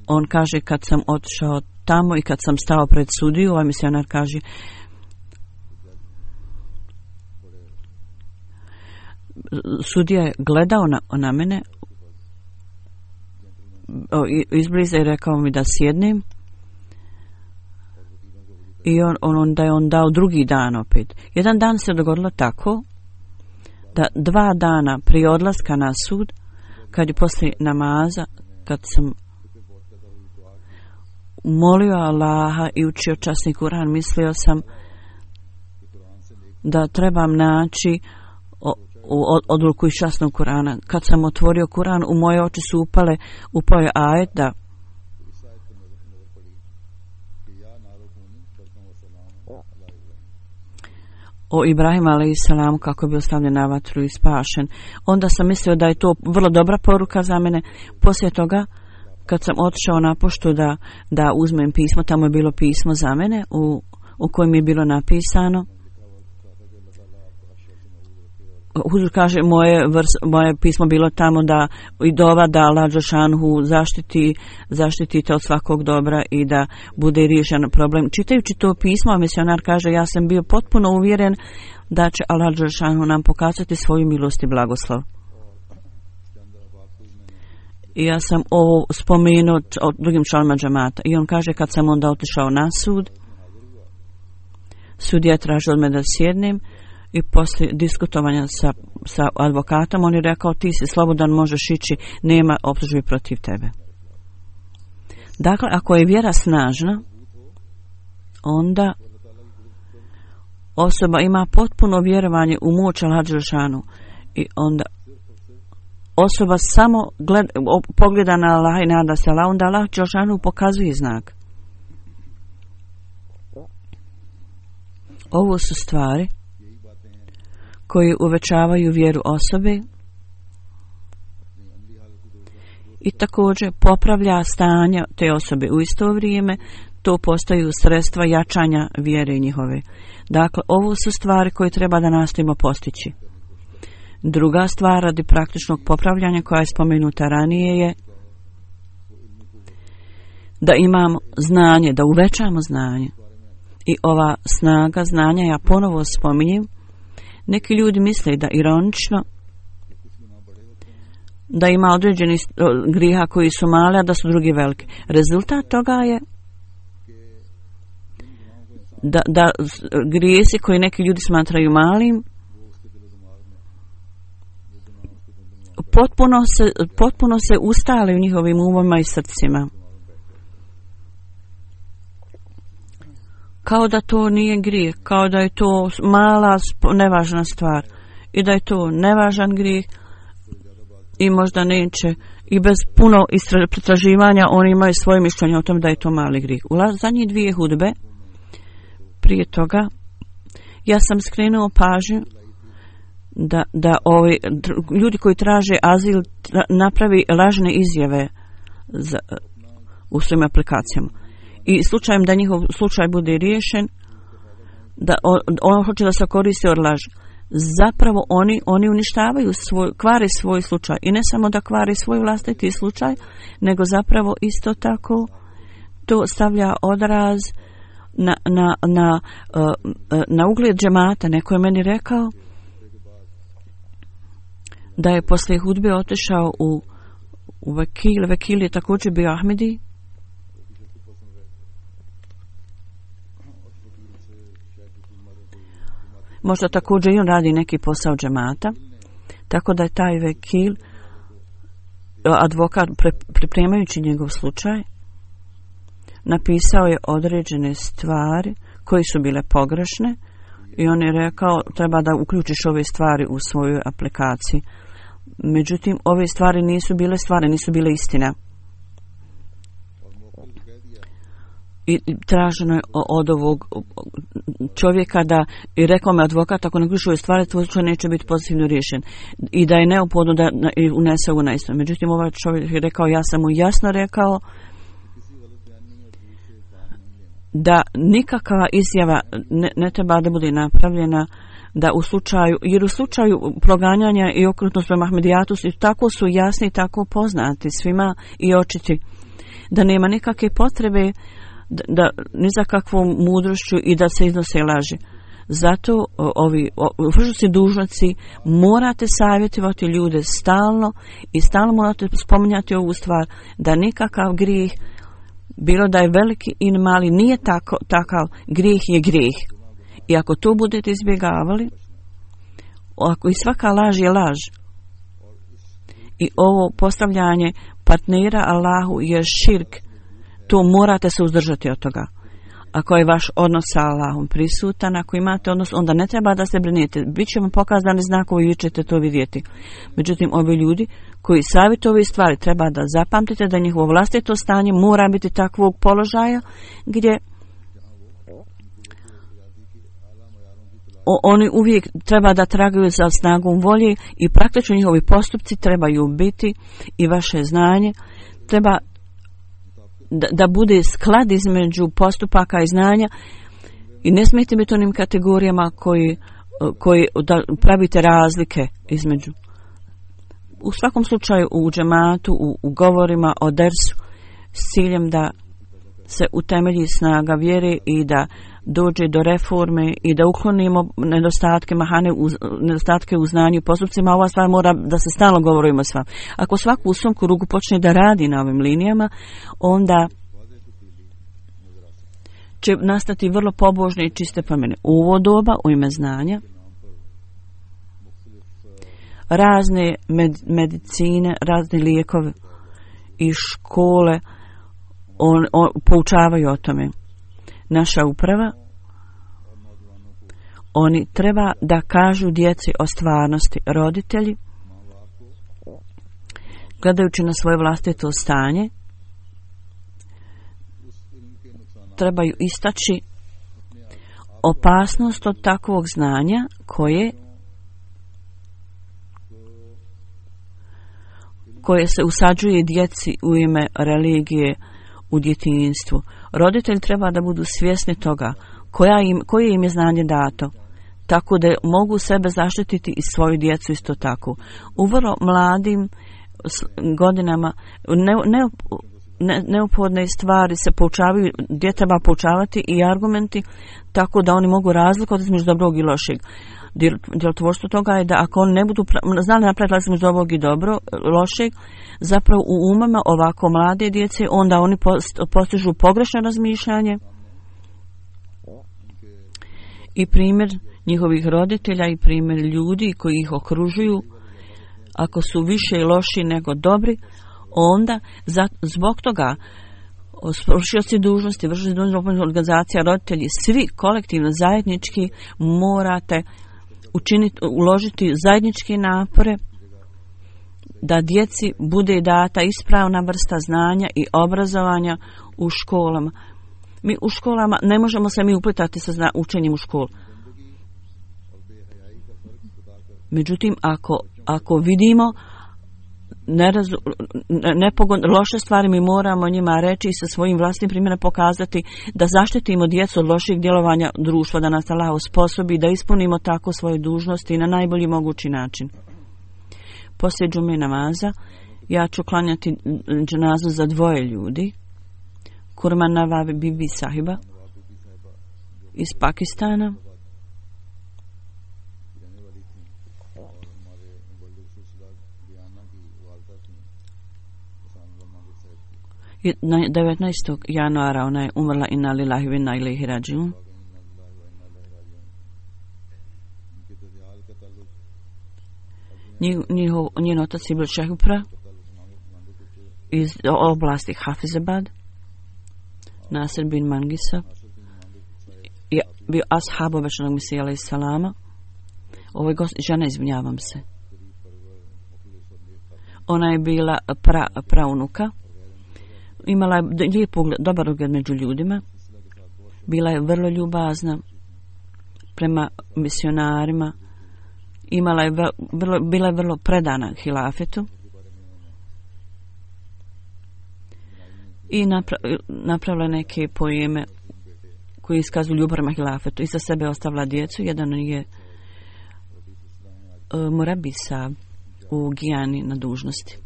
on kaže, kad sam otišao tamo i kad sam stao pred sudiju, ovaj misionar kaže, sudija je gledao na mene izbliza i rekao mi da sjednem. I da je on dao drugi dan opet. Jedan dan se dogodilo tako da 2 dana prije odlaska na sud, kad je poslije namaza, kad sam molio Allaha i učio časni Kur'an, mislio sam da trebam naći odluku iz časnog Kur'ana. Kad sam otvorio Kur'an, u moje oči su upao je ajet da o Ibrahimu alejsalamu kako je bio stavljen na vatru i spašen. Onda sam mislio da je to vrlo dobra poruka za mene. Poslije toga, kad sam otišao na poštu da uzmem pismo, tamo je bilo pismo za mene u kojem je bilo napisano. Huzur kaže, moje pismo bilo tamo da i dova da Allah dželešanohu zaštitite od svakog dobra i da bude riješen problem. Čitajući to pismo, misionar kaže, ja sam bio potpuno uvjeren da će Allah dželešanohu nam pokazati svoju milost i blagoslov. I ja sam ovo spomenuo od drugim članovima džamata. I on kaže, kad sam onda otišao na sud, sudija traži od mene da sjednem i poslije diskutovanja sa advokatom on je rekao ti si slobodan, možeš ići, nema optužbi protiv tebe. Dakle, ako je vjera snažna, onda osoba ima potpuno vjerovanje u moć Allaha dželešanu i onda osoba samo pogleda na Allaha i nada se Allah, onda Allah dželešanu pokazuje znak. Ovo su stvari koje uvećavaju vjeru osobe i također popravlja stanje te osobe. U isto vrijeme to postaju sredstva jačanja vjere njihove. Dakle, ovo su stvari koje treba da nastojimo postići. Druga stvar radi praktičnog popravljanja koja je spomenuta ranije je da imamo znanje, da uvećamo znanje. I ova snaga znanja, ja ponovo spominjem, neki ljudi misle da ironično da ima određeni griha koji su mali, a da su drugi veliki. Rezultat toga je da grijesi koji neki ljudi smatraju malim potpuno se ustale u njihovim umima i srcima. Kao da to nije grijeh, kao da je to mala, nevažna stvar i da je to nevažan grijeh i možda neće i bez puno pretraživanja oni imaju svoje mišljenje o tom da je to mali grijeh. U zadnjih 2 hudbe prije toga ja sam skrenuo pažnju da ovi ljudi koji traže azil napravi lažne izjave u svojim aplikacijama. I slučajem da njihov slučaj bude riješen, da on hoće da se koristi od laži. Zapravo oni uništavaju kvare svoj slučaj. I ne samo da kvare svoj vlastiti slučaj, nego zapravo isto tako to stavlja odraz na ugled džemata. Neko je meni rekao da je poslije hudbe otišao u Vekil. Vekil je također bio Ahmedi. Možda također i on radi neki posao džemata. Tako da je taj Vekil, advokat, pripremajući njegov slučaj, napisao je određene stvari koje su bile pogrešne i on je rekao treba da uključiš ove stvari u svoju aplikaciju. Međutim, ove stvari nisu bile stvari, nisu bile istina. I traženo je od ovog čovjeka da, i rekao me advokat, ako ne uključiš ove stvari, tvoj slučaj neće biti pozitivno riješen. I da je neophodno da unese ovo na isto. Međutim, ovaj čovjek je rekao, ja sam mu jasno rekao da nikakva izjava ne treba da bude napravljena, da u slučaju, jer u slučaju proganjanja i okrutnost prema Ahmedijatu tako su jasni, tako poznati svima i očiti, da nema nikakve potrebe da ni za kakvom mudrošću i da se iznose laži. Zato ovi vršnici dužnici morate savjetovati ljude stalno i stalno morate spominjati ovu stvar, da nikakav grijeh, bilo da je veliki i mali, nije takav, grijeh je grijeh. I ako to budete izbjegavali, ako i svaka laž je laž, i ovo postavljanje partnera Allahu je širk, to morate se uzdržati od toga. Ako je vaš odnos sa Allahom prisutan, ako imate odnos, onda ne treba da se brinete. Biće vam pokazani znakovi i vi ćete to vidjeti. Međutim, ovi ljudi koji savjetuju ove stvari, treba da zapamtite da njihovo vlastito stanje mora biti takvog položaja gdje oni uvijek treba da tragaju za snagom volje i praktično njihovi postupci trebaju biti i vaše znanje treba da bude sklad između postupaka i znanja i ne smijete biti onim kategorijama koji da pravite razlike između. U svakom slučaju u džematu, u govorima o dersu s ciljem da se utemelji snaga vjere i da dođe do reforme i da uklonimo nedostatke u znanju i postupcima. Ova stvar mora da se stalno govorimo s vama. Ako svaku u svom krugu počne da radi na ovim linijama, onda će nastati vrlo pobožne i čiste promjene. U ovo doba, u ime znanja, razne medicine, razne lijekove i škole poučavaju o tome. Naša uprava, oni treba da kažu djeci o stvarnosti. Roditelji, gledajući na svoje vlastito stanje, trebaju istaći opasnost od takvog znanja koje se usađuje djeci u ime religije u djetinjstvu. Roditelji treba da budu svjesni toga koje im je znanje dato, tako da mogu sebe zaštititi i svoju djecu isto tako. U vrlo mladim godinama neophodne stvari se poučavaju, gdje treba poučavati i argumenti, tako da oni mogu razlikovati između dobrog i lošeg. Djelotvorstvo toga je da ako oni ne budu znali napraviti između dobrog i lošeg, zapravo u umama ovako mlade djece, onda oni postižu pogrešno razmišljanje i primjer njihovih roditelja i primjer ljudi koji ih okružuju, ako su više loši nego dobri, onda zbog toga vršioci dužnosti, vršioci dužnosti organizacija, roditelji, svi kolektivno zajednički morate uložiti zajedničke napore da djeci bude data ispravna vrsta znanja i obrazovanja u školama. Mi u školama ne možemo se mi uplitati sa učenjem u školu. Međutim, ako vidimo loše stvari, mi moramo njima reći i sa svojim vlastnim primjerom pokazati da zaštitimo djecu od loših djelovanja društva, da nas Allah osposobi da ispunimo tako svoje dužnosti na najbolji mogući način. Poslije džume namaza ja ću klanjati dženazu za dvoje ljudi. Kurman Nawab Bibi Sahiba iz Pakistana na 19. januara ona je umrla, inna lillahi wa inna ilaihi rađiun. Njen otac je bil Šehupra iz oblasti Hafizabad. Nasir bin Mangisa je bio ashab obećanog Mesija alejhi salama. Ovo je žena, izvinjavam se. Ona je bila praunuka. Imala je lijep ugled, dobar ugled među ljudima. Bila je vrlo ljubazna prema misionarima. Bila je vrlo predana hilafetu. I napravila neke poeme koji iskazuju ljubav prema hilafetu. I sa sebe ostavila djecu. Jedan je Murabisa u Gijani na dužnosti.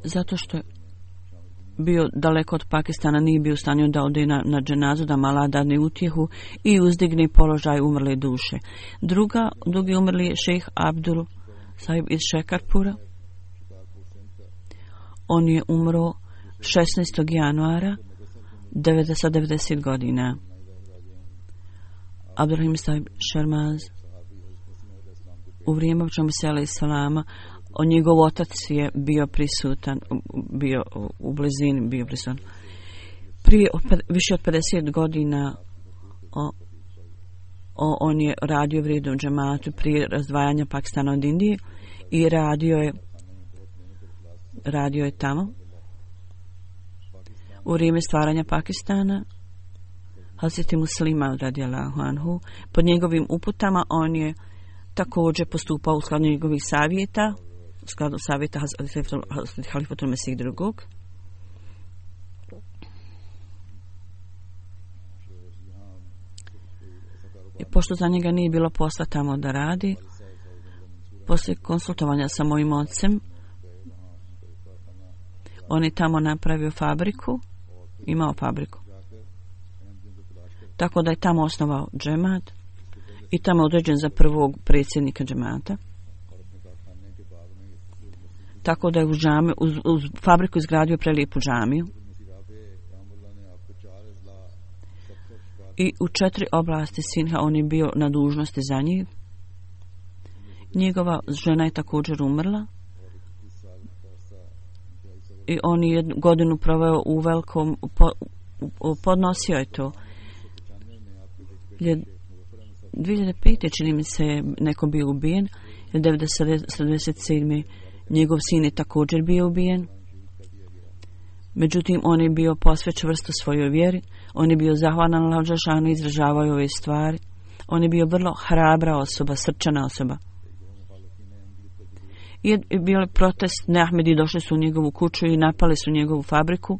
Zato što je bio daleko od Pakistana, nije bio u stanju da ode na dženazu, da mala dadne utjehu i uzdigne položaj umrle duše. Drugi umrli je šejh Abdul Sahib iz Šekarpura. On je umro 16. januara 90 godina. Abdurrahim Sahib Sharmaz u vrijeme Mesija alejhi salama, njegov otac je bio prisutan, bio u blizini, bio prisutan. Prije više od 50 godina on je radio u vrijednom džematu prije razdvajanja Pakistana od Indije i radio je tamo. U vrijeme stvaranja Pakistana Hazreti Muslima radijallahu anhu, pod njegovim uputama on je također postupao u skladu njegovih savjeta, u skladu savjeta Halifatul Mesih II. I pošto za njega nije bilo posla tamo da radi, poslije konsultovanja sa mojim ocem, on je tamo napravio fabriku, imao fabriku. Tako da je tamo osnovao džemat i tamo određen za prvog predsjednika džemata. tako da je uz fabriku izgradio prelijepu džamiju. I u 4 oblasti Sinha on je bio na dužnosti za njih. Njegova žena je također umrla. I on je 1 godinu proveo u velikom, podnosio je to. 2005. čini mi se neko bio ubijen. 1997. njegov sin je također bio ubijen. Međutim, on je bio posve čvrsto svojoj vjeri. On je bio zahvalan Allahu dželešanu i izražavao ove stvari. On je bio vrlo hrabra osoba, srčana osoba. I bio je protest, Neahmedi došli su u njegovu kuću i napali su njegovu fabriku.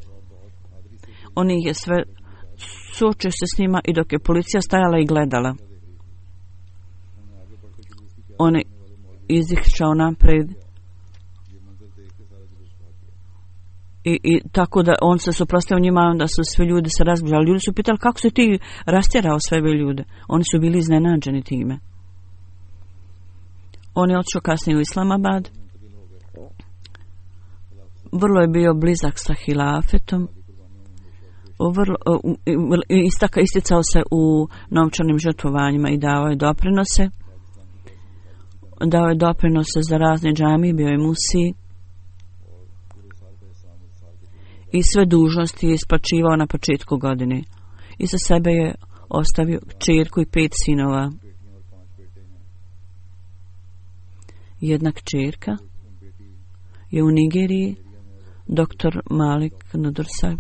On ih je sve suočio se s njima i dok je policija stajala i gledala. On je izišao napred i tako da on se suprotstavio njima, onda su svi ljudi se razbježali. Ljudi su pitali kako se ti rastjerao sve ove ljude. Oni su bili iznenađeni time. On je otišao kasnije u Islamabad. Vrlo je bio blizak sa hilafetom. Isticao se u novčanim žrtvovanjima i dao je doprinose. Dao je doprinose za razne džamije, bio je musi. I sve dužnosti je isplaćivao na početku godine. I za sebe je ostavio kćerku i 5 sinova. Jedna kćerka je u Nigeriji, doktor Malik Nudursab.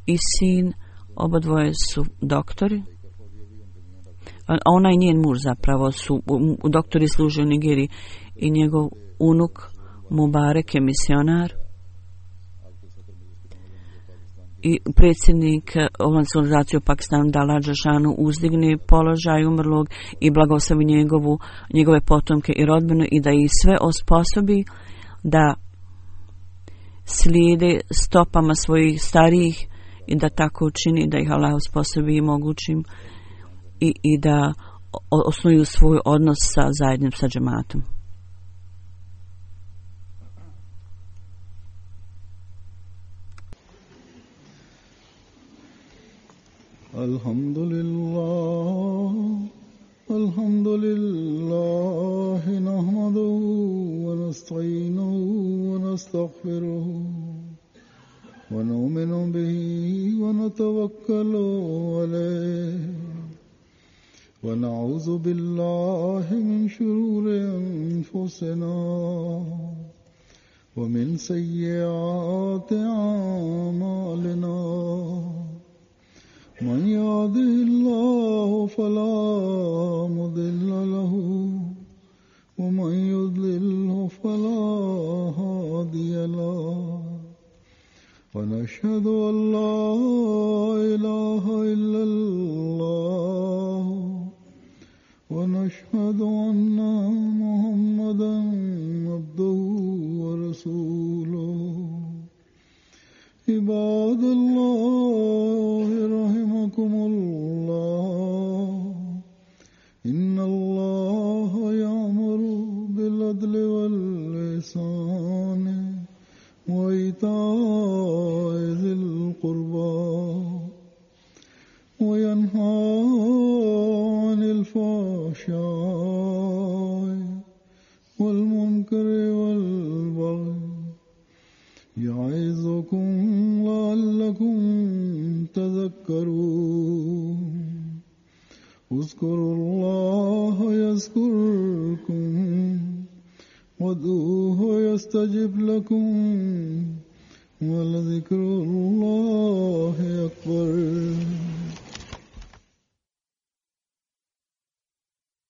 I sin, obadvoje su doktori. A ona i njen muž zapravo su doktori, služe u Nigeriji. I njegov unuk Mubarek je misionar. I predsjednik Omladinske organizacije u Pakistanu Dala Džešanu uzdigne položaj umrlog i blagoslovi njegove potomke i rodbinu i da ih sve osposobi da slijede stopama svojih starijih i da tako učini, da ih Allah osposobi i mogućim i da osnuju svoj odnos sa zajednim sa džematom. Alhamdulillah nahmaduhu wa nasta'inuhu wa nastaghfiruhu wa nu'minu bihi wa natawakkalu alayhi wa na'udhu billahi min shururi anfusina wa min sayyiati a'malina. من يهده الله فلا مضل له ومن يضلل فلا هادي له ونشهد أن لا إله إلا الله ونشهد أن محمدا عبده ورسوله. عباد الله رحمكم الله إن الله يأمر بالعدل والإحسان وإيتاء ذي القربى وينهى عن الفحشاء والمنكر والبغي يعظكم لعلكم تذكرون. اذكروا الله يذكركم وادعوه يستجب لكم ولذكر الله أكبر.